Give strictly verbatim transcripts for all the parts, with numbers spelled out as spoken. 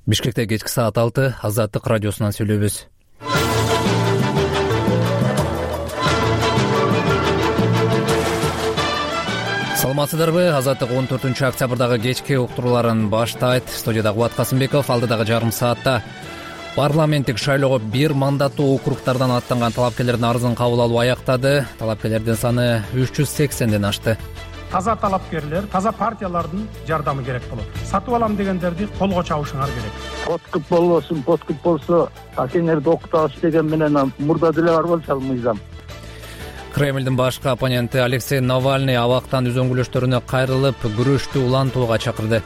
Бишкекте кечки саат алты Азаттык радиосунан сүйлөйбүз. Саламатсыздарбы? Азаттык он төртүнчү октябрдагы кечки уктурууларын баштайт. Студияда Кубат Касымбеков. Алдыдагы жарым саатта парламенттик шайлоого бир мандаттуу округтардан аттанган талапкерлердин арызын кабыл алуу аяктады. Талапкерлердин саны үч жүз сексенден ашты. Таза талапкерлер, таза партиялардын жардамы керек болот. Сатып алам дегендерди колго чабышыңар керек. Подкуп болбосун, подкуп болсо акеңерди окутабыз деген менен мурда деле бар болчу мыйзам. Кремлдин башкы оппоненти Алексей Навальный абактан үзөңгүлөштөрүнө кайрылып, күрөштү улантууга чакырды.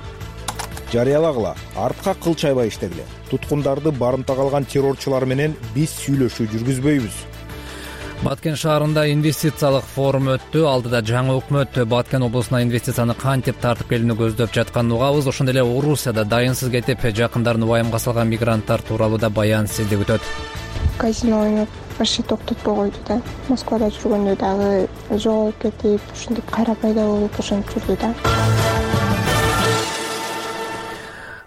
Жарыялагыла, артка кыл чайбай иштегиле. Туткундарды барымтага алган террорчулар менен биз сүйлөшүү жүргүзбөйбүз. Баткен шаарында инвестициялык форум өттү. Алдыда жаңы өкмөт Баткен облусуна инвестицияны кантип тартып келүүнү көздөп жатканын угабыз. Ошондой эле Орусияда дайынсыз кетип, жакындарын убайымга салган мигранттар тууралуу да баян сизди күтөт. Казино ойноп вообще токтотпой койду да. Москвада жүргөндө дагы жоголуп кетип, ушинтип кайра пайда болуп ошентип жүрдү да.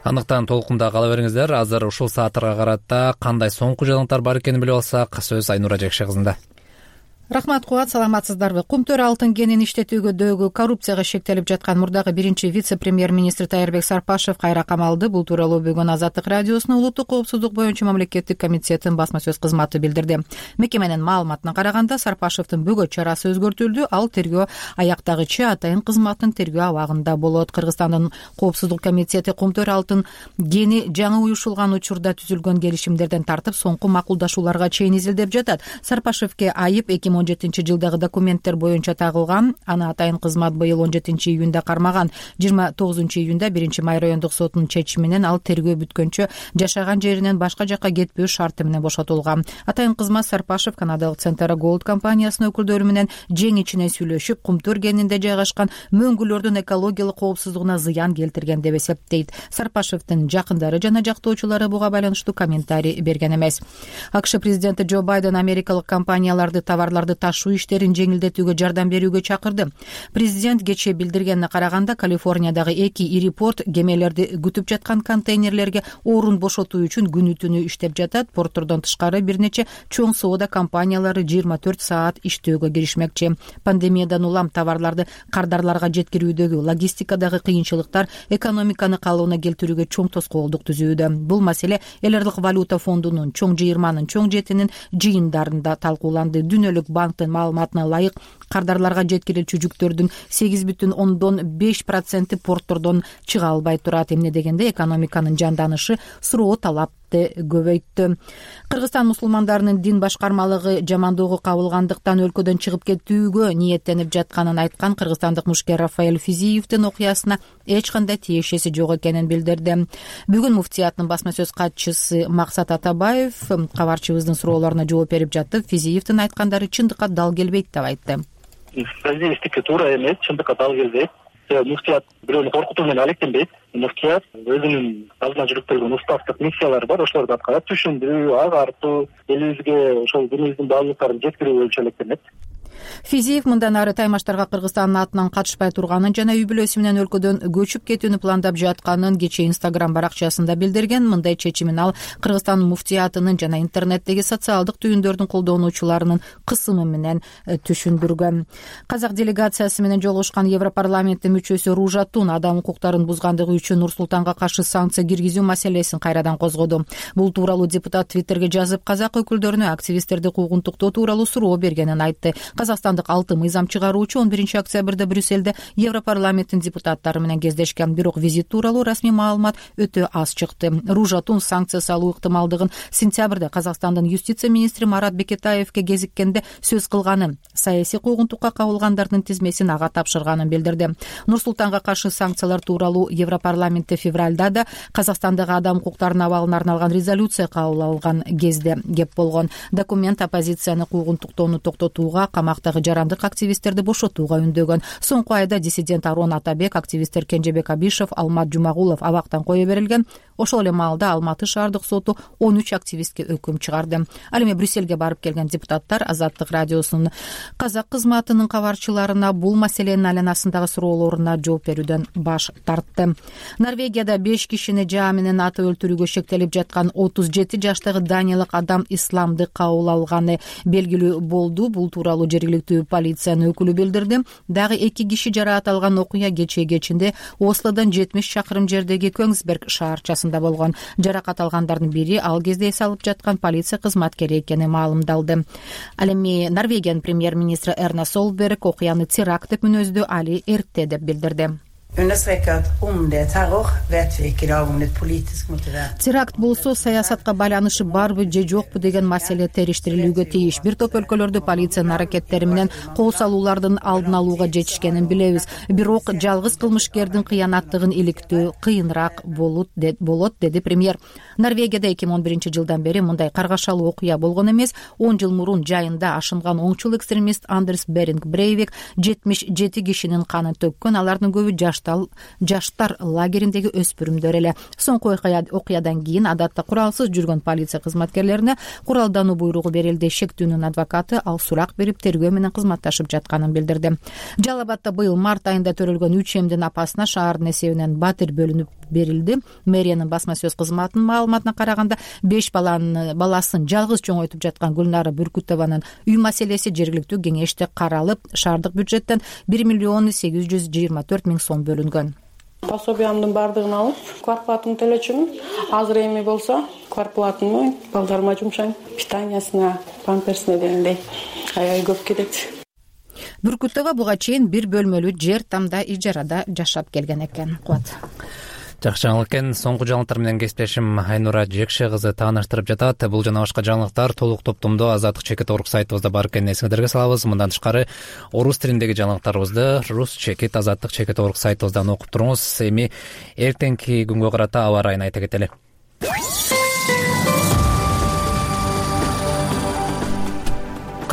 Андыктан толкунда кала бериңиздер. Азыр ушул сааттарга карата кандай соңку жаңылыктар бар экенин билип алсак, сөз Айнура Жекше кызында. Рахмат Кубат, саламатсыздарбы? Кумтөр алтын кенин иштетүүгөдөгү коррупцияга шектелип жаткан мурдагы биринчи вице-премьер-министр Тайырбек Сарпашев кайра камалды. Бул тууралуу бүгүн Азаттык радиосунун улуттук коопсуздук боюнча мамлекеттик комитетинин басма сөз кызматы билдирди. Мекеменин маалыматына караганда, Сарпашевдин бөгөт чарасы өзгөртүлдү. Ал тергөө аяктагыча атайын кызматтын тергөө абагында болот. Кыргызстандын коопсуздук комитети Кумтөр алтын кени жаңы уюшулган учурда түзүлгөн келишимдерден тартып, соңку макулдашууларга чейин изилдеп жатат. Сарпашевке айып эки миң он жетинчи жылдагы документтер боюнча тагылган. Аны атайын кызмат быйыл он жетинчи июнда кармаган. жыйырма тогузунчу июнда биринчи май райондук сотунун чечими менен ал тергөө бүткөнчө жашаган жеринен башка жакка кетпөө шарты менен бошотулган. Атайын кызмат Сарпашев канадалык Центра Голд компаниясынын өкүлдөрү менен жең ичине сүйлөшүп, Кумтөр кенинде жайгашкан мөңгүлөрдүн экологиялык коопсуздугуна зыян келтирген деп эсептейт. Сарпашевдин жакындары жана жактоочулары буга байланыштуу комментарий берген эмес. АКШ президенти Джо Байден америкалык компанияларды товарларды ташуу иштерин жеңилдетүүгө жардам берүүгө чакырды. Президент кечээ билдиргенине караганда, Калифорниядагы эки ири порт кемелерди күтүп жаткан контейнерлерге орун бошотуу үчүн күнү түнү иштеп жатат. Порттордон тышкары бир нече чоң соода компаниялары жыйырма төрт саат иштөөгө киришмекчи. Пандемиядан улам товарларды кардарларга жеткирүүдөгү логистикадагы кыйынчылыктар экономиканы калыбына келтирүүгө чоң тоскоолдук түзүүдө. Бул маселе Эл Аралык валюта фондунун чоң жыйырманын чоң жетинин жыйындарында талкууланды. Дүнөлүк банктын маалыматына ылайык, кардарларга жеткирилчү жүктөрдүн сегиз бүтүн ондон беш проценти порттордон чыга албай турат. Эмне дегенде экономиканын жанданышы суроо талапты көбөйттү. Кыргызстан мусулмандарынын дин башкармалыгы жамандоого кабылгандыктан өлкөдөн чыгып кетүүгө ниеттенип жатканын айткан кыргызстандык мушкер Рафаэль Физиевдин окуясына эч кандай тиешеси жок экенин билдирди. Бүгүн муфтияттын басма сөз катчысы Максат Атабаев кабарчыбыздын суроолоруна жооп берип жатып, Физиевдин айткандары чындыкка дал келбейт деп айтты. Физиевдики туура эмес, чындыкка дал келбейт. Муфтият бирөөнү коркутуу менен алектенбейт. Муфтият өзүнүн алдына жүктөлгөн уставдык миссиялары бар, ошолорду аткарат. Түшүндүрүү, агартуу, элибизге ошол динибиздин баалуулуктарын жеткирүү боюнча алектенет. Физиев мындан ары таймаштарга Кыргызстандын атынан катышпай турганын жана үй бүлөсү менен өлкөдөн көчүп кетүүнү пландап жатканын кечээ Инстаграм баракчасында билдирген. Мындай чечимин ал Кыргызстан муфтиятынын жана интернеттеги социалдык түйүндөрдүн колдонуучуларынын кысымы менен түшүндүргөн. Казак делегациясы менен жолугушкан Европарламенттин мүчөсү Ружа Тун адам укуктарын бузгандыгы үчүн Нур-Султанга каршы санкция киргизүү маселесин кайрадан козгоду. Бул тууралуу депутат Твиттерге жазып, казак өкүлдөрүнө активисттерди куугунтуктоо тууралуу суроо бергенин айтты. Казакстандык алты мыйзам чыгаруучу он биринчи октябрда Брюссельде Европарламенттин депутаттары менен кездешкен, бирок визит тууралуу расмий маалымат өтө аз чыкты. Ружа Тун санкция салуу ыктымалдыгын сентябрда Казакстандын юстиция министри Марат Бекетаевке кезиккенде сөз кылганын, саясий куугунтукка кабылгандардын тизмесин ага тапшырганын билдирди. Нур-Султанга каршы санкциялар тууралуу Европарламентте февралда да Казакстандагы адам укуктарынын абалына арналган резолюция кабыл алган кезде кеп болгон. Документ оппозицияны куугунтуктоону токтотууга, камакка аймактагы жарандык активисттерди бошотууга үндөгөн. Соңку айда диссидент Арон Атабек, активисттер Кенжебек Абишев, Алмат Жумагулов абактан кое берилген. Ошол эле маалда Алматы шаардык соту он үч активистке өкүм чыгарды. Ал эми Брюссельге барып келген депутаттар Азаттык радиосунун казак кызматынын кабарчыларына бул маселенин айланасындагы суроолоруна жооп берүүдөн баш тартты. Норвегияда беш кишини жаа менен атып өлтүрүүгө шектелип жаткан отуз жети жаштагы даниялык адам исламды кабыл алганы белгилүү болду. Бул тууралуу жергиликтүү полициянын өкүлү билдирди. Дагы эки киши жараат алган окуя кечээ кечинде Ослодон жетимиш чакырым жердеги Көңсберг шаарчасында болгон. Жаракат алгандардын бири ал кезде эс алып жаткан полиция кызматкери экени маалымдалды. Ал эми Норвегиянын премьер-министри Эрна Солберг окуяны теракт деп мүнөздөө, али эрте деп билдирди. Теракт болсо саясатка байланышы барбы же жокпу деген маселе териштирилүүгө тийиш. Бир топ өлкөлөрдө полициянын аракеттери менен кол салуулардын алдын алууга жетишкенин билебиз. Бирок жалгыз кылмышкердин кыянаттыгын иликтөө кыйыныраак болот, деди премьер. Норвегияда эки миң он биринчи жылдан бери мындай каргашалуу окуя болгон эмес. он жыл мурун жайында ашынган оңчул экстремист Андерс Беринг Брейвик жетимиш жети кишинин канын төккөн. Алардын көбү жаш жаштар лагериндеги өспүрүмдөр эле. Соңку окуядан кийин адатта куралсыз жүргөн полиция кызматкерлерине куралдануу буйругу берилди. Шектүүнүн адвокаты ал сурак берип тергөө менен кызматташып жатканын билдирди. Жалал Абадта быйыл март айында төрөлгөн үч эмдин апасына шаардын эсебинен батир бөлүнүп берилди. Мэриянын басма сөз кызматынын маалыматына караганда беш баланын баласын жалгыз чоңойтуп жаткан Гүлнара Бүркүтованын үй маселеси жергиликтүү кеңеште каралып, шаардык бюджеттен бир миллион сегиз жүз жыйырма төрт миң сом бөлүнгөн. Пособиямдын бардыгын алып, квартплатамды төлөчүмүн. Азыр эми болсо квартплатамды балдарыма жумшайм. Питаниясына, памперсине дегендей аябай көп кетет. Бүркүтова буга чейин бир бөлмөлүү жер тамда ижарада жашап келген экен. Куат. Жакшы жаңылык экен. Соңку жаңылыктар менен кесиптешим Айнура Жекше кызы тааныштырып жатат. Бул жана башка жаңылыктар толук топтомдо Азаттык чекит орг сайтыбызда бар экенин эсиңиздерге салабыз. Мындан тышкары орус тилиндеги жаңылыктарыбызды рус чекит Азаттык чекит орг сайтыбыздан окуп туруңуз. Эми эртеңки күнгө карата аба ырайын айта кетели.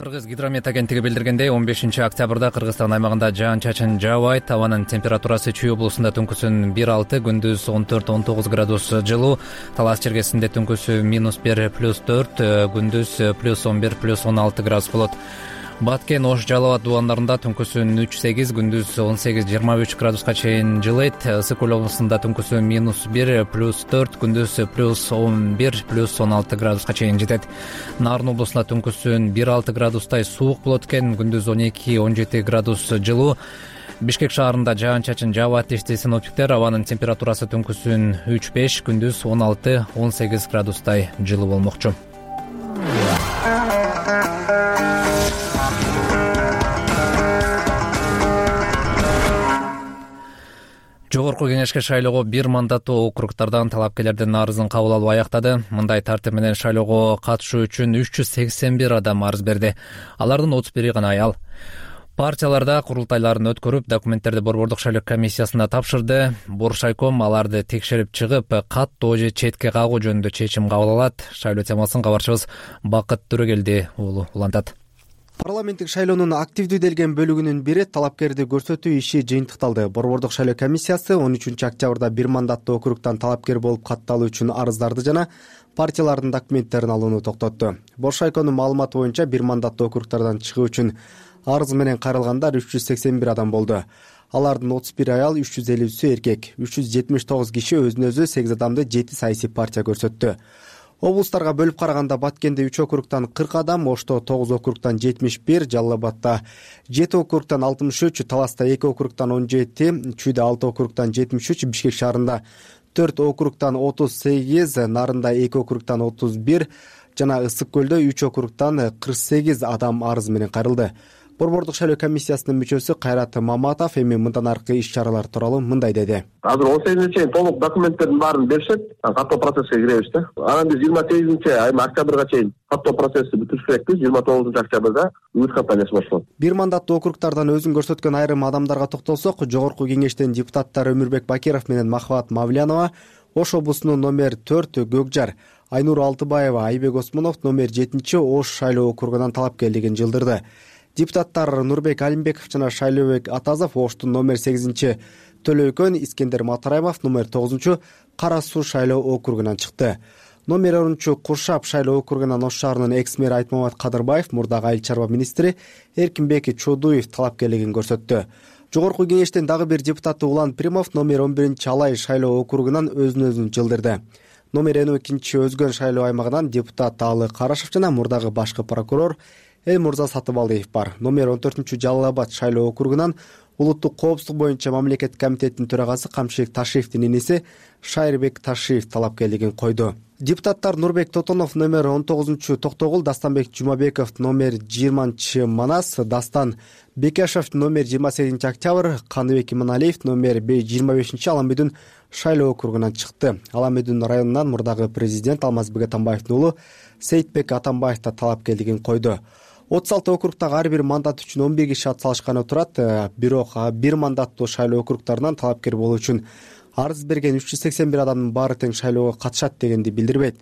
Кыргыз гидромет агенттиги билдиргендей, он бешинчи октябрда Кыргызстан аймагында жаан-чачын жаабайт. Абанын температурасы Чүй облусунда түнкүсүн бир алты, күндүз он төрт он тогуз градус жылуу. Талас чергесинде түнкүсү минус бир плюс төрт, күндүз плюс он бир плюс он алты градус болот. Баткен, Ош, Жалал Абад дубандарында түнкүсүн үч сегиз, күндүз он сегиз жыйырма үч градуска чейин жылыйт. Ысык көл облусунда түнкүсү минус бир плюс төрт, күндүз плюс он бир плюс он алты градуска чейин жетет. Нарын облусунда түнкүсүн бир алты градустай суук болот экен, күндүз он эки он жети градус жылуу. Бишкек шаарында жаан-чачын жаабайт дешти синоптиктер. Абанын температурасы түнкүсүн үч беш, күндүз он алты он сегиз градустай жылуу болмокчу. Жогорку кеңешке шайлоого бир мандаттуу округдардан талапкерлердин арызын кабыл алуу аяктады. Мындай тартип менен шайлоого катышуу үчүн үч жүз сексен бир адам арыз берди. Алардын отуз бири гана аял. Партияларда курултайларын өткөрүп, документтерди Борбордук шайлоо комиссиясына тапшырды. Боршайком аларды текшерип чыгып, каттоо же четке кагуу жөнүндө чечим кабыл алат. Шайлоо темасын кабарчыбыз Бакыт Төрөгелди уулу улантат. Парламенттик шайлоонун активдүү делген бөлүгүнүн бири талапкерди көрсөтүү иши жыйынтыкталды. Борбордук шайлоо комиссиясы он үчүнчү октябрда бир мандаттуу округдан талапкер болуп катталуу үчүн арыздарды жана партиялардын документтерин алууну токтотту. Боршайконун маалыматы боюнча бир мандаттуу округдардан чыгуу үчүн арыз менен кайрылгандар үч жүз сексен бир адам болду. Алардын отуз бир аял, үч жүз элүүсү эркек, үч жүз жетимиш тогуз киши өзүнө өзү, сегиз адамды жети саясий партия көрсөттү. Облустарга бөлүп караганда Баткенде үч округдан кырк адам, Ошто тогуз округдан жетимиш бир, Жалал Абадта жети округдан алтымыш үч, Таласта эки округдан он жети, Чүйдө алты округдан жетимиш үч, Бишкек шаарында төрт округдан отуз сегиз, Нарында эки округдан отуз бир жана Ысык көлдө үч округдан кырк сегиз адам арыз менен кайрылды. Борбордук шайлоо комиссиясынын мүчөсү Кайрат Маматов эми мындан аркы иш-чаралар тууралуу мындай деди. Азыр он сегизинчи чейин толук документтердин баарын беришет, каттоо процесске киребиз да. Анан биз жыйырма сегизинчи айым октябрга чейин каттоо процессин бүтүрүш керекпиз. жыйырма тогузунчу октябрда үмүт кампаниясы башталат. Бир мандаттуу округдардан өзүн көрсөткөн айрым адамдарга токтолсок, жогорку кеңештин депутаттары Өмүрбек Бакиров менен Махабат Мавлянова, Ош облусунун номер төрт Гөкжар, Айнур Алтыбаева, Айбек Осмонов номер жетинчи Ош шайлоо округунан талапкерлигин жылдырды. Депутаттар Нурбек Алимбеков жана Шайлообек Атазов Оштун номер сегизинчи Төлөйкөн, Искендер Матараев номер тогузунчу Кара Суу шайлоо округунан чыкты. Номер онунчу Куршап шайлоо округунан Ош шаарынын экс-мэри Айтмамат Кадырбаев мурдагы айыл чарба министри Эркинбек Чодуев талапкерлигин көрсөттү. Жогорку кеңештен дагы бир депутаты Улан Примов номер он биринчи Алай шайлоо округунан өзүн өзүн жылдырды. Номер он экинчи Өзгөн шайлоо аймагынан депутат Алы Карашев жана мурдагы башкы прокурор Элмурза Сатыбалдиев бар. Номер он төртүнчү Жалал Абад шайлоо округунан улуттук коопсуздук боюнча мамлекеттик комитеттин төрагасы Камшилик Ташиевдин иниси Шайырбек Ташиев талапкерлигин койду. Депутаттар Нурбек Тотонов номер он тогузунчу Токтогул, Дастанбек Жумабеков номер жыйырманчы Манас, Дастан Бекешев номер жыйырма сегизинчи Октябрь, Каныбек Иманалиев номер жыйырма бешинчи Аламбүдүн шайлоо округунан чыкты. Аламбүдүн районунан мурдагы президент Алмазбек Атамбаевдин уулу Сейитбек Атамбаев да талапкерлигин койду. отуз алты округдагы ар бир мандат үчүн он бир киши ат салышканы турат. Бирок бир мандаттуу шайлоо округдарынан талапкер болуу үчүн арыз берген үч жүз сексен бир адамдын баары тең шайлоого катышат дегенди билдирбейт.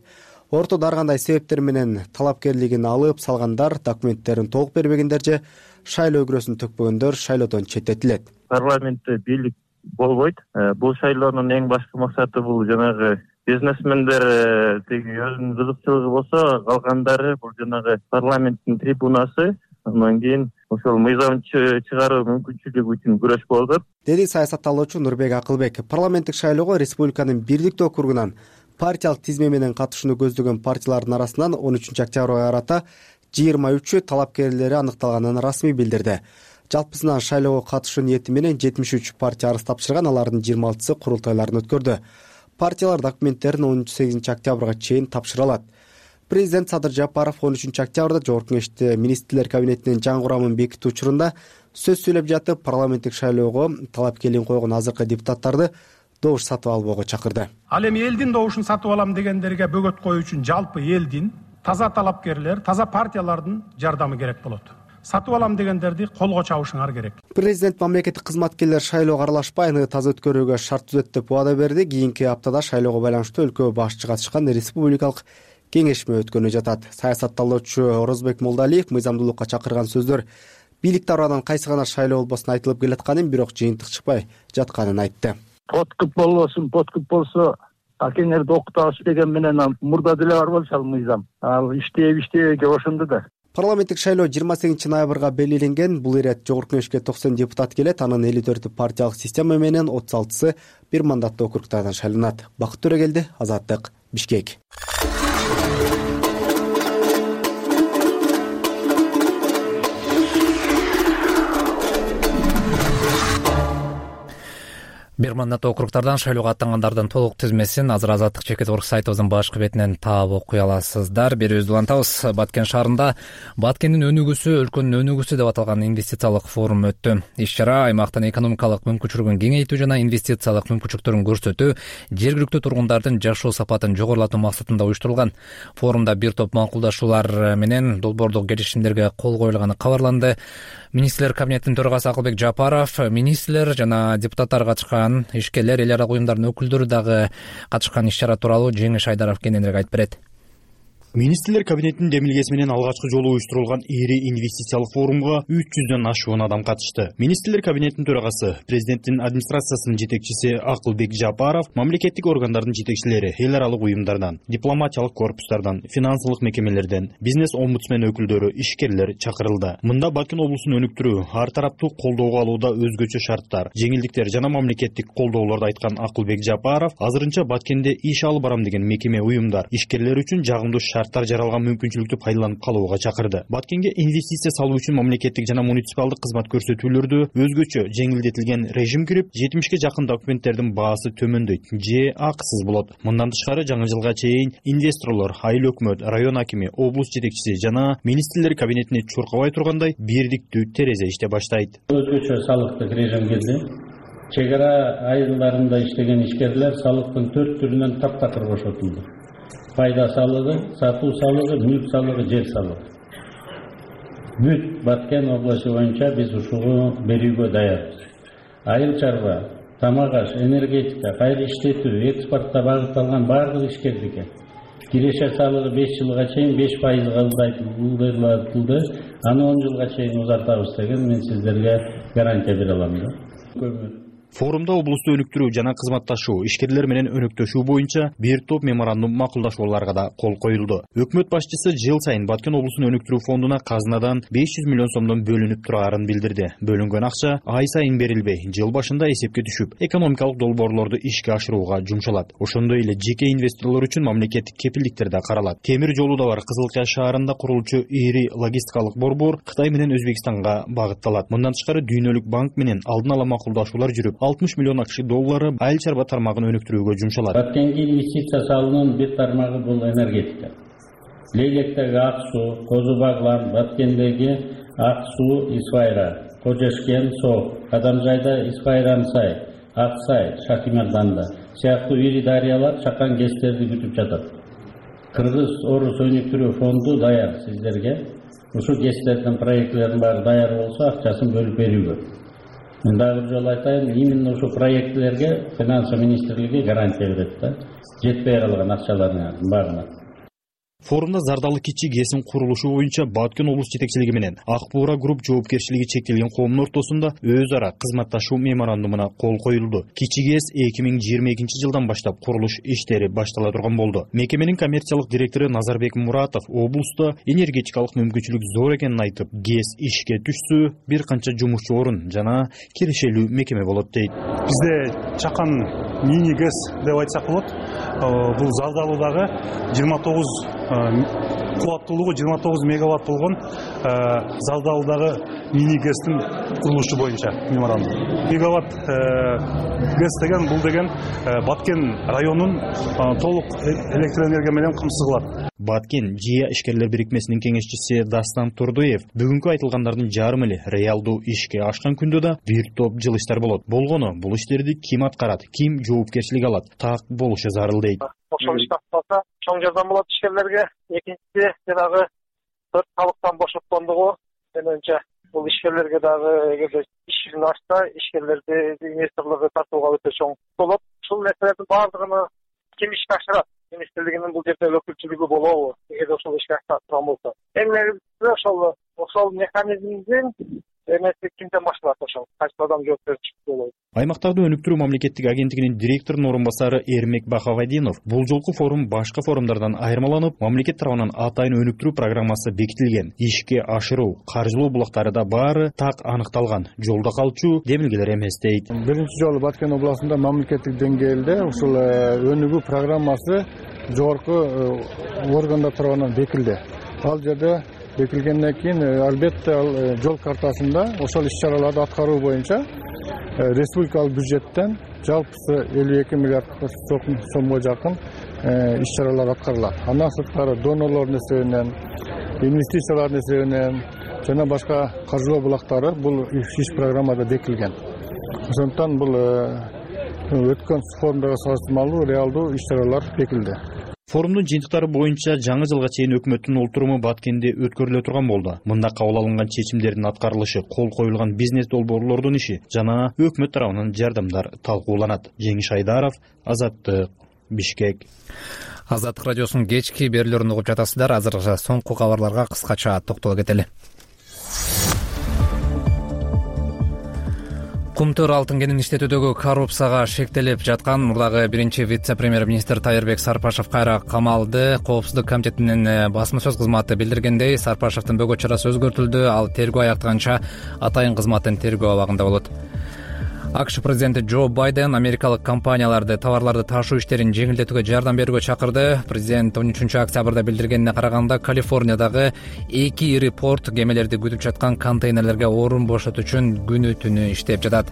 Ортодо ар кандай себептер менен талапкерлигин алып салгандар, документтерин толук бербегендер же шайлоо өгрөсүн төкпөгөндөр шайлоодон четтетилет. Парламентте бийлик болбойт. Бул шайлоонун эң башкы максаты бул жанагы бизнесмендер тиги өзүнүн кызыкчылыгы болсо, калгандары бул жанагы парламенттин трибунасы, андан кийин ошол мыйзам чыгаруу мүмкүнчүлүгү үчүн күрөш болуп атат, деди саясаттаалоочу Нурбек Акылбек. Парламенттик шайлоого республиканын Бирликтүү округунан партиялык тизме менен катышууну көздөгөн партиялардын арасынан он үчүнчү октябрга карата жыйырма үчү талапкерлери аныкталганын расмий билдирди. Жалпысынан шайлоого катышуу ниети менен жетимиш үч партия арыз тапшырган, алардын жыйырма алтысы курултайларын өткөрдү. Партиялар документтерин он сегизинчи октябрга чейин тапшыра алат. Президент Садыр Жапаров он үчүнчү октябрда Жогорку кеңеште министрлер кабинетинин жаңы курамын бекитүү учурунда сөз сүйлөп жатып, парламенттик шайлоого талапкерлигин койгон азыркы депутаттарды добуш сатып албоого чакырды. Ал эми элдин добушун сатып алам дегендерге бөгөт коюу үчүн жалпы элдин, таза талапкерлер, таза партиялардын жардамы керек болот. Сатып алам дегендерди колго чабышыңар керек. Президент мамлекеттик кызматкерлер шайлоого аралашпай, аны таза өткөрүүгө шарт түзөт деп убада берди. Кийинки аптада шайлоого байланыштуу өлкө башчы катышкан республикалык кеңешме өткөнү жатат. Саясаттаалоочу Орозбек Молдалиев мыйзамдуулукка чакырган сөздөр бийлик тарабынан кайсы гана шайлоо болбосун айтылып келатканын, бирок жыйынтык чыкпай жатканын айтты. Подкуп болбосун, подкуп болсо акеңерди окутабыз деген менен мурда деле бар болчу ал мыйзам. Ал иштеп иштебейге ошондо да. Парламенттик шайлоо жыйырма сегизинчи ноябрга белгиленген. Бул ирет Жогорку кеңешке токсон депутат келет. Анын элүү төртү партиялык система менен отуз алтысы бир мандаттуу округдардан шайланат. Бакыт Төрөгелди, Азаттык, Бишкек. Бир мандаттуу округдардан шайлоого аттангандардын толук тизмесин азыр Азаттык чекит орг сайтыбыздын башкы бетинен таап окуй аласыздар. Берүүбүздү улантабыз. Баткен шаарында Баткендин өнүгүүсү, өлкөнүн өнүгүүсү деп аталган инвестициялык форум өттү. Иш-чара аймактын экономикалык мүмкүнчүлүгүн кеңейтүү жана инвестициялык мүмкүнчүлүктөрүн көрсөтүү, жергиликтүү тургундардын жашоо сапатын жогорулатуу максатында уюштурулган. Форумда бир топ макулдашуулар менен долбоордук келишимдерге кол коюлганы кабарланды. Министрлер кабинетинин төрагасы Акылбек Жапаров, министрлер жана депутаттар катышкан, ишкерлер, эл аралык уюмдардын өкүлдөрү дагы катышкан иш-чара тууралуу Жеңиш Айдаров кененирээк айтып берет. Министрлер кабинетинин демилгеси менен алгачкы жолу уюштурулган ири инвестициялык форумга үч жүздөн ашуун адам катышты. Министрлер кабинетинин төрагасы, президенттин администрациясынын жетекчиси Акылбек Жапаров, мамлекеттик органдардын жетекчилери, эл аралык уюмдардан, дипломатиялык корпустардан, финансылык мекемелерден, бизнес омбудсмен өкүлдөрү, ишкерлер чакырылды. Мында Баткен облусун өнүктүрүү, ар тараптуу колдоого алууда өзгөчө шарттар, жеңилдиктер жана мамлекеттик колдоолорду айткан Акылбек Жапаров, азырынча Баткенде иш алып барам деген мекеме, уюмдар, ишкерлер үчүн жагымдуу шарттар жаралган мүмкүнчүлүктү пайдаланып калууга чакырды. Баткенге инвестиция салуу үчүн мамлекеттик жана муниципалдык кызмат көрсөтүүлөрдү өзгөчө жеңилдетилген режим кирип, жетимишке жакын документтердин баасы төмөндөйт же акысыз болот. Мындан тышкары жаңы жылга чейин инвесторлор, айыл өкмөт, район акими, облус жетекчиси жана министрлер кабинетине чуркабай тургандай бирдиктүү терезе иштеп баштайт. Өзгөчө салыктык режим келди. Чек ара айылдарында иштеген ишкерлер салыктын төрт түрүнөн таптакыр бошотулду. Пайда салыгы, сатуу салыгы, мүлк салыгы, жер салыгы. Бүт Баткен областы боюнча биз ушуну берүүгө даярбыз. Айыл чарба, тамак аш, энергетика, кайра иштетүү, экспортко багытталган бардык ишкердикке кирешер салыгы беш жылга чейин беш пайызга ылдыйтылды, аны он жылга чейин узартабыз деген мен сиздерге гарантия бере алам да. Форумда облусту өнүктүрүү жана кызматташуу, ишкерлер менен өнөктөшүү боюнча бир топ меморандум макулдашууларга да кол коюлду. Өкмөт башчысы жыл сайын Баткен облусун өнүктүрүү фондуна казынадан беш жүз миллион сомдон бөлүнүп турарын билдирди. Бөлүнгөн акча ай сайын берилбей, жыл башында эсепке түшүп, экономикалык долбоорлорду ишке ашырууга жумшалат. Ошондой эле жеке инвесторлор үчүн мамлекеттик кепилдиктер да каралат. Темир жолу да бар Кызыл Кая шаарында курулчу ири логистикалык борбор Кытай менен Өзбекстанга багытталат. Мындан тышкары Дүйнөлүк банк менен алдын ала макулдашуулар жүрүп, алтымыш миллион акш доллары айыл чарба тармагын өнүктүрүүгө жумшалат. Баткенге инвестиция салуунун бир тармагы бул энергетика. Лейлектеги ак суу, Козу Баглан, Баткендеги ак суу Исфайра, Кожешкен соо, Адамжайда Исфайран сай, Ак сай, Шахимарданда сыяктуу ири дарыялар чакан гэстерди күтүп жатат. Кыргыз Орус өнүктүрүү фонду даяр сиздерге. Ушул гэстердин проектлердин баары даяр болсо акчасын бөлүп берүүгө. Мен дагы бир жолу айтайын, именно ушул проектлерге финансы министрлиги гарантия берет да, жетпей калган акчалардын баарына. Форумда Зардалы кичи ГЭСин курулушу боюнча Баткен облус жетекчилиги менен Ак Буура групп жоопкерчилиги чектелген коомдун ортосунда өз ара кызматташуу меморандумуна кол коюлду. Кичи ГЭС эки миң жыйырма экинчи жылдан баштап курулуш иштери баштала турган болду. Мекеменин коммерциялык директору Назарбек Муратов облуста энергетикалык мүмкүнчүлүк зор экенин айтып, ГЭС ишке түшсө бир канча жумушчу орун жана кирешелүү мекеме болот дейт. Бизде чакан мини ГЭС деп айтсак болот. Бул Зардалыдагы жыйырма тогуз кубаттуулугу жыйырма тогуз мегаватт болгон Зардалыдагы мини ГЭСтин курулушу боюнча меморандум. Мегаватт ГЭС деген бул деген Баткен районун толук электроэнергия менен камсыз кылат. Баткен ЖИА ишкерлер бирикмесинин кеңешчиси Дастан Турдуев бүгүнкү айтылгандардын жарымы эле реалдуу ишке ашкан күндө да бир топ жылыштар болот. Болгону бул иштерди ким аткарат, ким жоопкерчилик алат, так болушу зарыл дейт. Ошол ишти аткарса чоң жардам болот ишкерлерге. Экинчиси жанагы төрт салыктан бошоткондугу менимче бул ишкерлерге дагы эгерде ишин ачса, ишкерлерди инвесторлорго тартууга өтө чоң болот. Ушул нерселердин баардыгын ким ишке ашырат? Министрлигинин бул жерде өкүлчүлүгү болобу? Эгер ошол ишке ашырган болсо. Эң негизгиси ошол ошол механизмдин эмеси кимден башталат ошол? Кайсы адам жоопкерчилик болот? Аймактарды өнүктүрүү мамлекеттик агенттигинин директорунун орун басары Эрмек Бахавадинов бул жолку форум башка форумдардан айырмаланып, мамлекет тарабынан атайын өнүктүрүү программасы бекитилген. Ишке ашыруу, каржылоо булактары да баары так аныкталган. Жолдо калчу демилгелер эмес дейт. Биринчи жолу Баткен областында мамлекеттик деңгээлде ушул өнүгүү программасы жогорку органдар тарабынан бекилди. Ал жерде бекилгенден кийин албетте ал жол картасында ошол иш-чараларды аткаруу боюнча республикалык бюджеттен жалпысы элүү эки миллиард сомго жакын иш-чаралар аткарылат. Андан сырткары донорлордун эсебинен, инвестициялардын эсебинен жана башка каржылоо булактары бул иш программада бекилген. Ошондуктан бул өткөн форумдага салыштырмалуу реалдуу иш-чаралар бекилди. Форумдун жыйынтыктары боюнча жаңы жылга чейин өкмөттүн олтуруму Баткенде өткөрүлө турган болду. Мында кабыл алынган чечимдердин аткарылышы, кол коюлган бизнес долбоорлордун иши жана өкмөт тарабынан жардамдар талкууланат. Жеңиш Айдаров, Азаттык, Бишкек. Азаттык радиосунун кечки берүүлөрүн угуп жатасыздар. Азыркы соңку кабарларга кыскача токтоло кетели. Кумтөр алтын кенин иштетүүдөгү коррупцияга шектелип жаткан мурдагы биринчи вице-премьер-министр Тайырбек Сарпашев кайра камалды. Коопсуздук комитетинин басма сөз кызматы билдиргендей, Сарпашевдин бөгөт чарасы өзгөртүлдү. Ал тергөө аяктаганча атайын кызматтын тергөө абагында болот. АКШ президенти Джо Байден америкалык компанияларды товарларды ташуу иштерин жеңилдетүүгө жардам берүүгө чакырды. Президент он үчүнчү октябрда билдиргенине караганда, Калифорниядагы эки ири порт кемелерди күтүп жаткан контейнерлерге орун бошотуу үчүн күнү түнү иштеп жатат.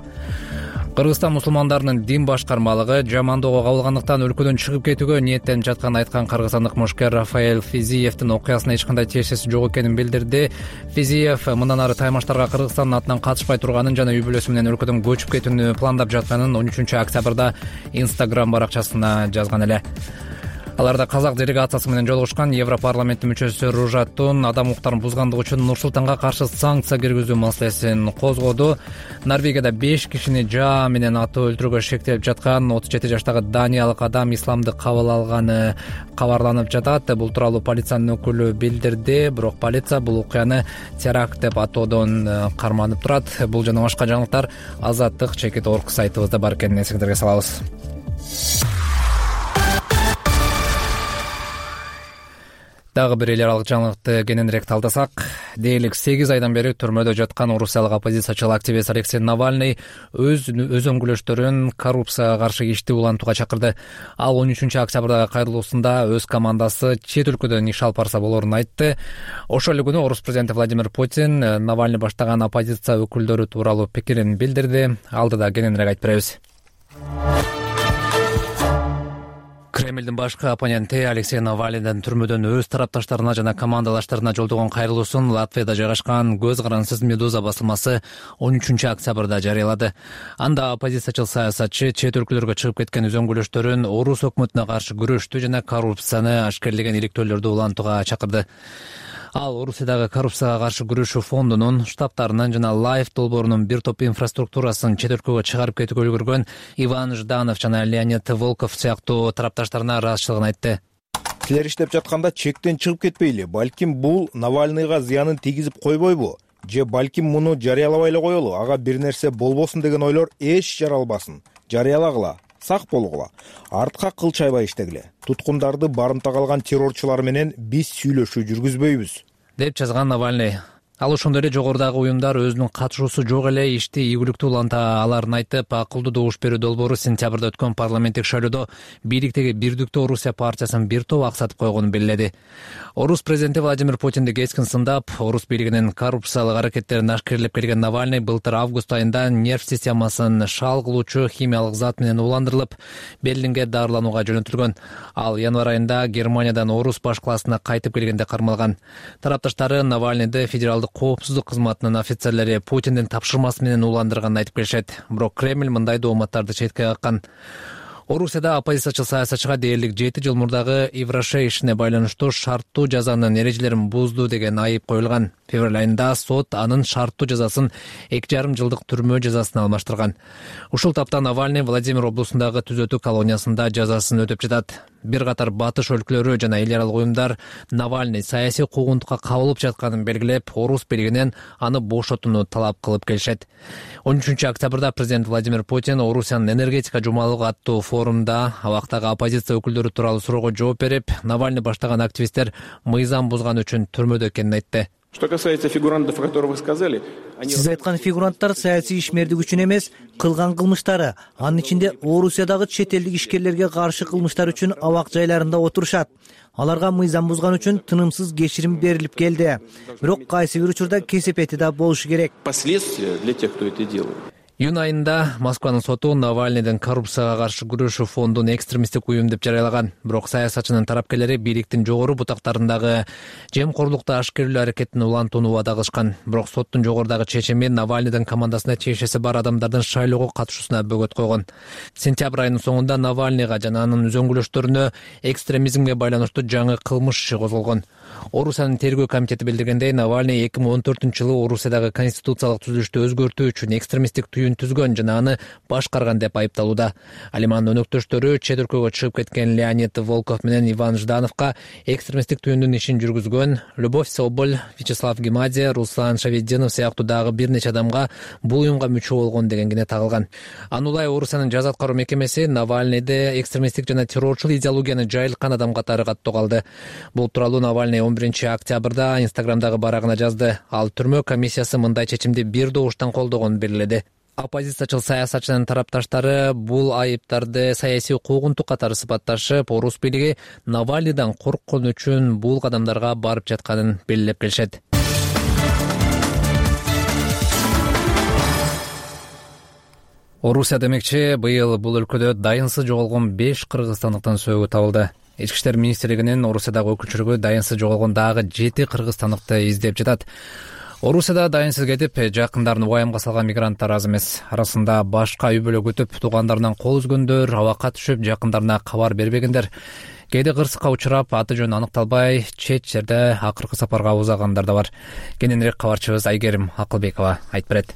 Кыргызстан мусулмандарынын дин башкармалыгы жамандоого кабылгандыктан өлкөдөн чыгып кетүүгө ниеттенип жатканын айткан кыргызстандык мушкер Рафаэль Физиевдин окуясына эч кандай тиешеси жок экенин билдирди. Физиев мындан ары таймаштарга Кыргызстандын атынан катышпай турганын жана үй бүлөсү менен өлкөдөн көчүп кетүүнү пландап жатканын он үчүнчү октябрда Instagram баракчасына жазган эле. Аларда казак делегациясы менен жолугушкан Европарламенттин мүчөсү Ружат Тун адам укуктарын бузгандыгы үчүн Нур-Султанга каршы санкция киргизүү маселесин козгоду. Норвегияда беш кишини жаа менен атып өлтүрүүгө шектелип жаткан отуз жети жаштагы даниялык адам исламды кабыл алганы кабарланып жатат. Бул тууралуу полициянын өкүлү билдирди. Бирок полиция бул окуяны теракт деп атоодон карманып турат. Бул жана башка жаңылыктар Азаттык чекит орг сайтыбызда бар экенин эсиңиздерге салабыз. Дагы бир эл аралык жаңылыкты кененирээк талдасак, дээрлик сегиз айдан бери түрмөдө жаткан орусиялык оппозициячыл активист Алексей Навальный өз өз өңгүлөштөрүн коррупцияга каршы ишти улантууга чакырды. Ал он үчүнчү октябрдагы кайрылуусунда өз командасы чет өлкөдөн иш алып барса болорун айтты. Ошол эле күнү орус президенти Владимир Путин Навальный баштаган оппозиция өкүлдөрү тууралуу пикирин билдирди. Алдыда кененирээк айтып беребиз. Кремлдин башкы оппоненти Алексей Навальныйдын түрмөдөн өз тарапташтарына жана командалаштарына жолдогон кайрылуусун Латвияда жайгашкан көз карансыз Медуза басылмасы он үчүнчү октябрда жарыялады. Анда оппозициячыл саясатчы чет өлкөлөргө чыгып кеткен өз өңгүлөштөрүн орус өкмөтүнө каршы күрөштү жана коррупцияны ашкерлеген иликтөөлөрдү улантууга чакырды. Ал Орусиядагы коррупцияга каршы күрөшүү фондунун штабтарынын жана Лайф долбоорунун бир топ инфраструктурасын чет өлкөгө чыгарып кетүүгө үлгүргөн Иван Жданов жана Леонид Волков сыяктуу тарапташтарына ыраазычылыгын айтты. Силер иштеп жатканда чектен чыгып кетпейли. Балким бул Навальныйга зыянын тийгизип койбойбу? Же балким муну жарыялабай эле коелу, ага бир нерсе болбосун деген ойлор эч жаралбасын. Жарыялагыла. Сак болгула. Артка кыл чайбай иштегиле. Туткундарды барымтага алган террорчулар менен биз сүйлөшүү жүргүзбөйбүз, деп жазган Навальный. Ал ошондой эле жогорудагы уюмдар өзүнүн катышуусу жок эле ишти ийгиликтүү уланта аларын айтып, акылдуу добуш берүү долбоору сентябрда өткөн парламенттик шайлоодо бийликтеги Бирдиктүү Орусия партиясын бир топ аксатып койгонун белгиледи. Орус президенти Владимир Путинди кескин сындап, орус бийлигинин коррупциялык аракеттерин ашкерлеп келген Навальный былтыр август айында нерв системасын шал кылуучу химиялык зат менен ууландырылып, Берлинге дарыланууга жөнөтүлгөн. Ал январь айында Германиядан орус баш классына кайтып келгенде кармалган. Тарапташтары Навальныйды федералдык коопсуздук кызматынын офицерлери Путиндин тапшырмасы менен ууландырганын айтып келишет. Бирок Кремль мындай дооматтарды четке каккан. Орусияда оппозициячыл саясатчыга дээрлик жети жыл мурдагы Ивраше ишине байланыштуу шарттуу жазанын эрежелерин бузду деген айып коюлган. Февраль айында сот анын шарттуу жазасын эки жарым жылдык түрмө жазасына алмаштырган. Ушул тапта Навальный Владимир облусундагы түзөтүү колониясында жазасын өтөп жатат. Бир катар батыш өлкөлөрү жана эл аралык уюмдар Навальный саясий куугунтукка кабылып жатканын белгилеп, орус бийлигинен аны бошотууну талап кылып келишет. он үчүнчү октябрда президент Владимир Путин Орусиянын энергетика жумалыгы аттуу форумда абактагы оппозиция өкүлдөрү тууралуу суроого жооп берип, Навальный баштаган активисттер мыйзам бузган үчүн түрмөдө экенин айтты. Что касается фигурантов, о которых вы сказали, Сиз айткан фигуранттар саясий ишмердик үчүн эмес, кылган кылмыштары, анын ичинде Орусиядагы чет элдик ишкерлерге каршы кылмыштар үчүн абак жайларында отурушат. Аларга мыйзам бузган үчүн тынымсыз кечирим берилип келди. Бирок кайсы бир учурда кесепети да болушу керек. Последствия для тех, кто это делает. Июнь айында Москванын соту Навальныйдын коррупцияга каршы күрөшүү фондун экстремисттик уюм деп жарыялаган. Бирок саясатчынын тарапкерлери бийликтин жогору бутактарындагы жемкорлукту ашкерлөө аракетин улантууну убада кылышкан. Бирок соттун жогорудагы чечими Навальныйдын командасына тиешеси бар адамдардын шайлоого катышуусуна бөгөт койгон. Сентябрь айынын соңунда Навальныйга жана анын үзөңгүлөштөрүнө экстремизмге байланыштуу жаңы кылмыш иши козголгон. Орусиянын тергөө комитети билдиргендей, Навальный эки миң он төртүнчү жылы Орусиядагы конституциялык түзүлүштү өзгөртүү үчүн экстремисттик түйүн түзгөн жана аны башкарган деп айыпталууда. Ал эми анын өнөктөштөрү чет өлкөгө чыгып кеткен Леонид Волков менен Иван Ждановго экстремисттик түйүндүн ишин жүргүзгөн Любовь Соболь, Вячеслав Гемадзе, Руслан Шаведдинов сыяктуу дагы бир нече адамга бул уюмга мүчө болгон дегенгине тагылган. Анулай Орусиянын жаза аткаруу мекемеси Навальныйды экстремисттик жана террорчул идеологияны жайылткан адам катары каттоого алды. Бул тууралуу Навальный он биринчи октябрда Инстаграмдагы барагына жазды. Ал түрмө комиссиясы мындай чечимди бир добуштан колдогонун белгиледи. Оппозициячыл саясатчынын тарапташтары бул айыптарды саясий куугунтук катары сыпатташып, орус бийлиги Навальныйдан корккон үчүн бул кадамдарга барып жатканын белгилеп келишет. Орусия демекчи, быйыл бул өлкөдө дайынсыз жоголгон беш кыргызстандыктын сөөгү табылды. Ички иштер министрлигинин Орусиядагы өкүлчүлүгү дайынсыз жоголгон дагы жети кыргызстандыкты издеп жатат. Орусияда дайынсыз кетип, жакындарын убайымга салган мигранттар аз эмес. Арасында башка үй бүлө күтүп, туугандарынан кол үзгөндөр, абакка түшүп, жакындарына кабар бербегендер. кээде кырсыкка учурап аты жөнү аныкталбай чет жерде акыркы сапарга узагандар да бар. Кененирээк кабарчыбыз Айгерим Акылбекова айтып берет.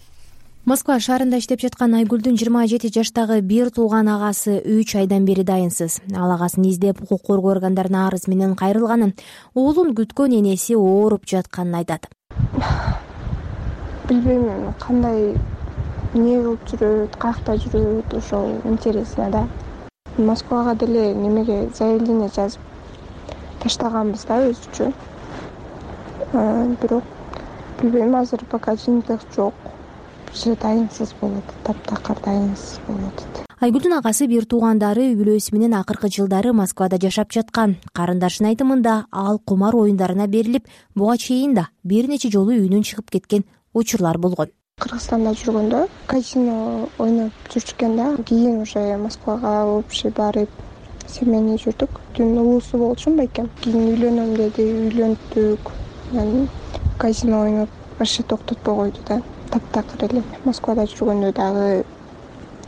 Москва шаарында иштеп жаткан Айгүлдүн жыйырма жети жаштагы бир тууган агасы үч айдан бери дайынсыз. Ал агасын издеп укук коргоо органдарына арыз менен кайрылганын, уулун күткөн энеси ооруп жатканын айтат. Билбейм кандай эмне кылып жүрөт, каякта жүрөт, ошол интересно да. Москвага деле немеге заявление жазып таштаганбыз да өз үчүн. Бирок билбейм, азыр пока жыйынтык жок. Же дайынсыз болот, таптакыр дайынсыз болот. Айгүлдүн агасы бир туугандары үй бүлөсү менен акыркы жылдары Москвада жашап жаткан. Карындашынын айтымында ал кумар оюндарына берилип, буга чейин да бир нече жолу үйүнөн чыгып кеткен учурлар болгон. Кыргызстанда жүргөндө казино ойноп жүрчүккен да. Кийин уже Москвага общий барып семейный жүрдүк. Түн улуусу болчумбу экен. Кийин үйлөнөм деди, үйлөндүк. Анан казино ойноп вообще токтотпой койду да. Таптакыр эле. Москвада жүргөндө дагы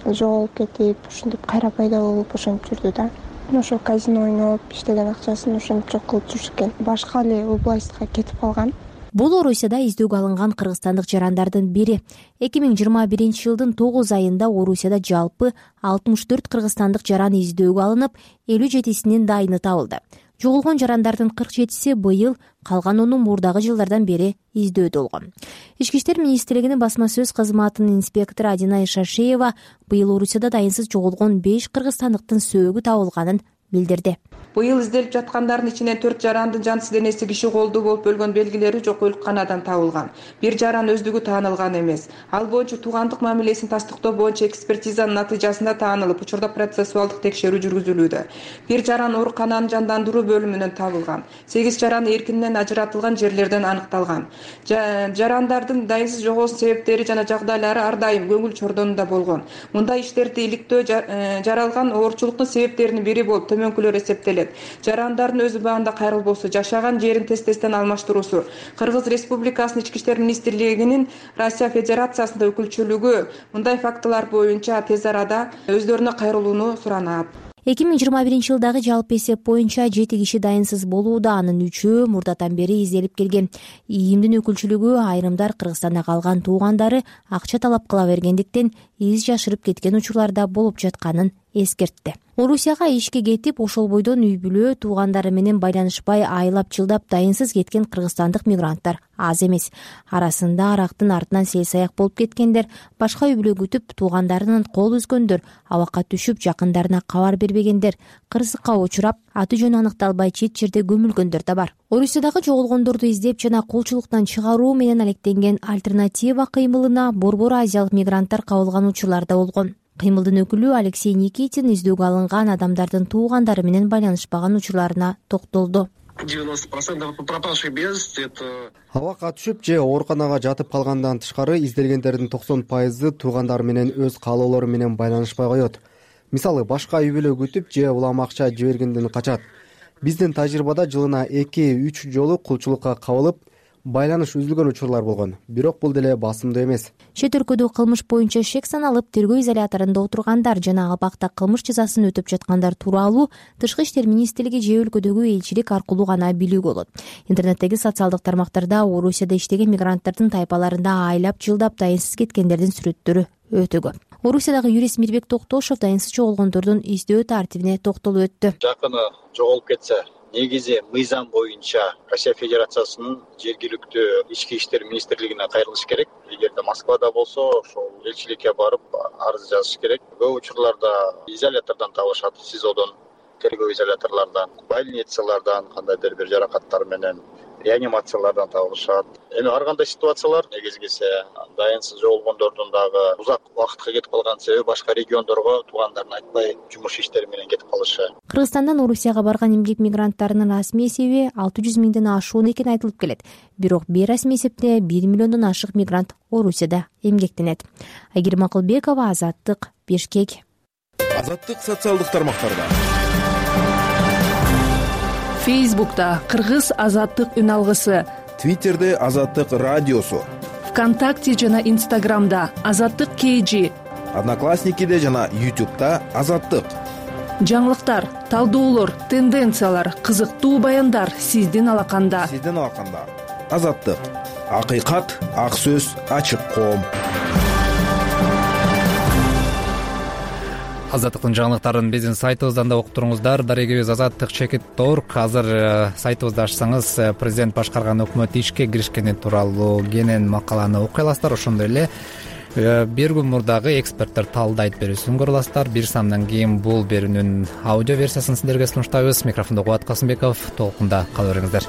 жоголуп кетип, ушинтип кайра пайда болуп ошентип жүрдү да. Ошо казино ойноп иштеген акчасын ошентип жок кылып жүрчүккен. Башка эле областка кетип калган. Бул Орусияда издөөгө алынган кыргызстандык жарандардын бири. эки миң жыйырма биринчи жылдын тогуз айында Орусияда жалпы алтымыш төрт кыргызстандык жаран издөөгө алынып, элүү жетисинин дайыны табылды. Жоголгон жарандардын кырк жетиси быйыл, калган ону мурдагы жылдардан бери издөөдө болгон. Ички иштер министрлигинин басма сөз кызматынын инспектору Адина Шашеева быйыл Орусияда дайынсыз жоголгон беш кыргызстандыктын сөөгү табылганын билдирди. Быйыл изделип жаткандардын ичинен төрт жарандын жансыз денеси киши колдуу болуп өлгөн белгилери жок өлкканадан табылган. Бир жаран өздүгү таанылган эмес. Ал боюнча туугандык мамилесин тастыктоо боюнча экспертизанын натыйжасында таанылып, учурда процессуалдык текшерүү жүргүзүлүүдө. Бир жаран оорукананын жандандыруу бөлүмүнөн табылган. сегиз жаран эркинен ажыратылган жерлерден аныкталган. Жарандардын дайынсыз жоголуш себептери жана жагдайлары ар дайым көңүл чордонунда болгон. Мындай иштерди иликтөө жаралган оорчулуктун себептеринин бири болуп төмөнкүлөр эсептелет. Жарандардын өз убагында кайрылбоосу, жашаган жерин тез-тезден алмаштыруусу, Кыргыз Республикасынын Ички иштер министрлигинин Россия Федерациясында өкүлчүлүгү мындай фактылар боюнча тез арада өздөрүнө кайрылууну суранат. эки миң жыйырма биринчи жылдагы жалпы эсеп боюнча жети киши дайынсыз болууда, анын үчөө мурдатан бери изделип келген. ИИМдин өкүлчүлүгү айрымдар Кыргызстанда калган туугандары акча талап кыла бергендиктен из жашырып кеткен учурларда болуп жатканын эскертти. Орусияга ишке кетип, ошол бойдон үй бүлө туугандары менен байланышпай айлап жылдап дайынсыз кеткен кыргызстандык мигранттар аз эмес. Арасында арактын артынан сел-саяк болуп кеткендер, башка үй бүлө күтүп туугандарынын кол үзгөндөр, абакка түшүп жакындарына кабар бербегендер, кырсыкка учурап, аты жөнү аныкталбай чет жерде көмүлгөндөр да бар. Орусиядагы жоголгондорду издеп жана кулчулуктан чыгаруу менен алектенген альтернатива кыймылына борбор азиялык мигранттар кабылган учурлар да болгон. Кыймылдын өкүлү Алексей Никитин издөөгө алынган адамдардын туугандары менен байланышпаган учурларына токтолду. девяносто процентов пропавших без вести это Абакка түшүп же ооруканага жатып калгандан тышкары изделгендердин токсон пайызы туугандары менен өз каалоолору менен байланышпай коет. Мисалы, башка үй бүлө күтүп же улам акча жибергенден качат. Биздин тажрыйбада жылына эки үч жолу кулчулукка кабылып, байланыш үзүлгөн учурлар болгон. Бирок бул деле басымдуу эмес. Чет өлкөдө кылмыш боюнча шек саналып, тергөө изоляторунда отургандар жана абакта кылмыш жазасын өтөп жаткандар тууралуу Тышкы иштер министрлиги же өлкөдөгү элчилик аркылуу гана билүүгө болот. Интернеттеги социалдык тармактарда Орусияда иштеген мигранттардын тайпаларында айлап жылдап дайынсыз кеткендердин сүрөттөрү өтө көп. Орусиядагы юрист Мирбек Токтошов дайынсыз жоголгондордун издөө тартибине токтолуп өттү. Жакыны жоголуп кетсе, негизи мыйзам боюнча Россия Федерациясынын жергиликтүү ички иштер министрлигине кайрылыш керек. Эгерде Москвада болсо, ошол элчиликке барып арыз жазыш керек. Көп учурларда изолятордон табышат, СИЗОдон, тергөө изоляторлордон, больницалардан, кандайдыр бир жаракаттар менен реанимациялардан табылышат. Эми ар кандай ситуациялар негизгиси дайынсыз жоголгондордун дагы узак убакытка кетип калган себеби башка региондорго туугандарын айтпай жумуш иштери менен кетип калышы. Кыргызстандан Орусияга барган эмгек мигранттарынын расмий эсеби алты жүз миңден ашуун экени айтылып келет. Бирок бейрасмий эсепте бир миллиондон ашык мигрант Орусияда эмгектенет. Айгерим Акылбекова, Азаттык, Бишкек. Азаттык социалдык тармактарда. Фейсбукта Кыргыз азаттык үн алгысы, Твиттерде Азаттык радиосу, ВКонтакте жана Инстаграмда Азаттык кей жи, Одноклассникиде жана Ютубта Азаттык. жаңылыктар, талдоолор, тенденциялар, кызыктуу баяндар сиздин алаканда. Сиздин алаканда. Азаттык. Акыйкат, ак сөз, ачык коом. Азаттыктын жаңылыктарын биздин сайтыбыздан да окуп туруңуздар. Дарегибиз азаттык чекит орг. Азыр сайтыбызды ачсаңыз, президент башкарган өкмөт ишке киришкени тууралуу кенен макаланы окуй аласыздар. Ошондой эле бир күн мурдагы эксперттер талдайт берүүсүн көрө аласыздар. Бир сандан кийин бул берүүнүн аудио версиясын сиздерге сунуштайбыз. Микрофондо Кубат Касымбеков. Толкунда кала бериңиздер.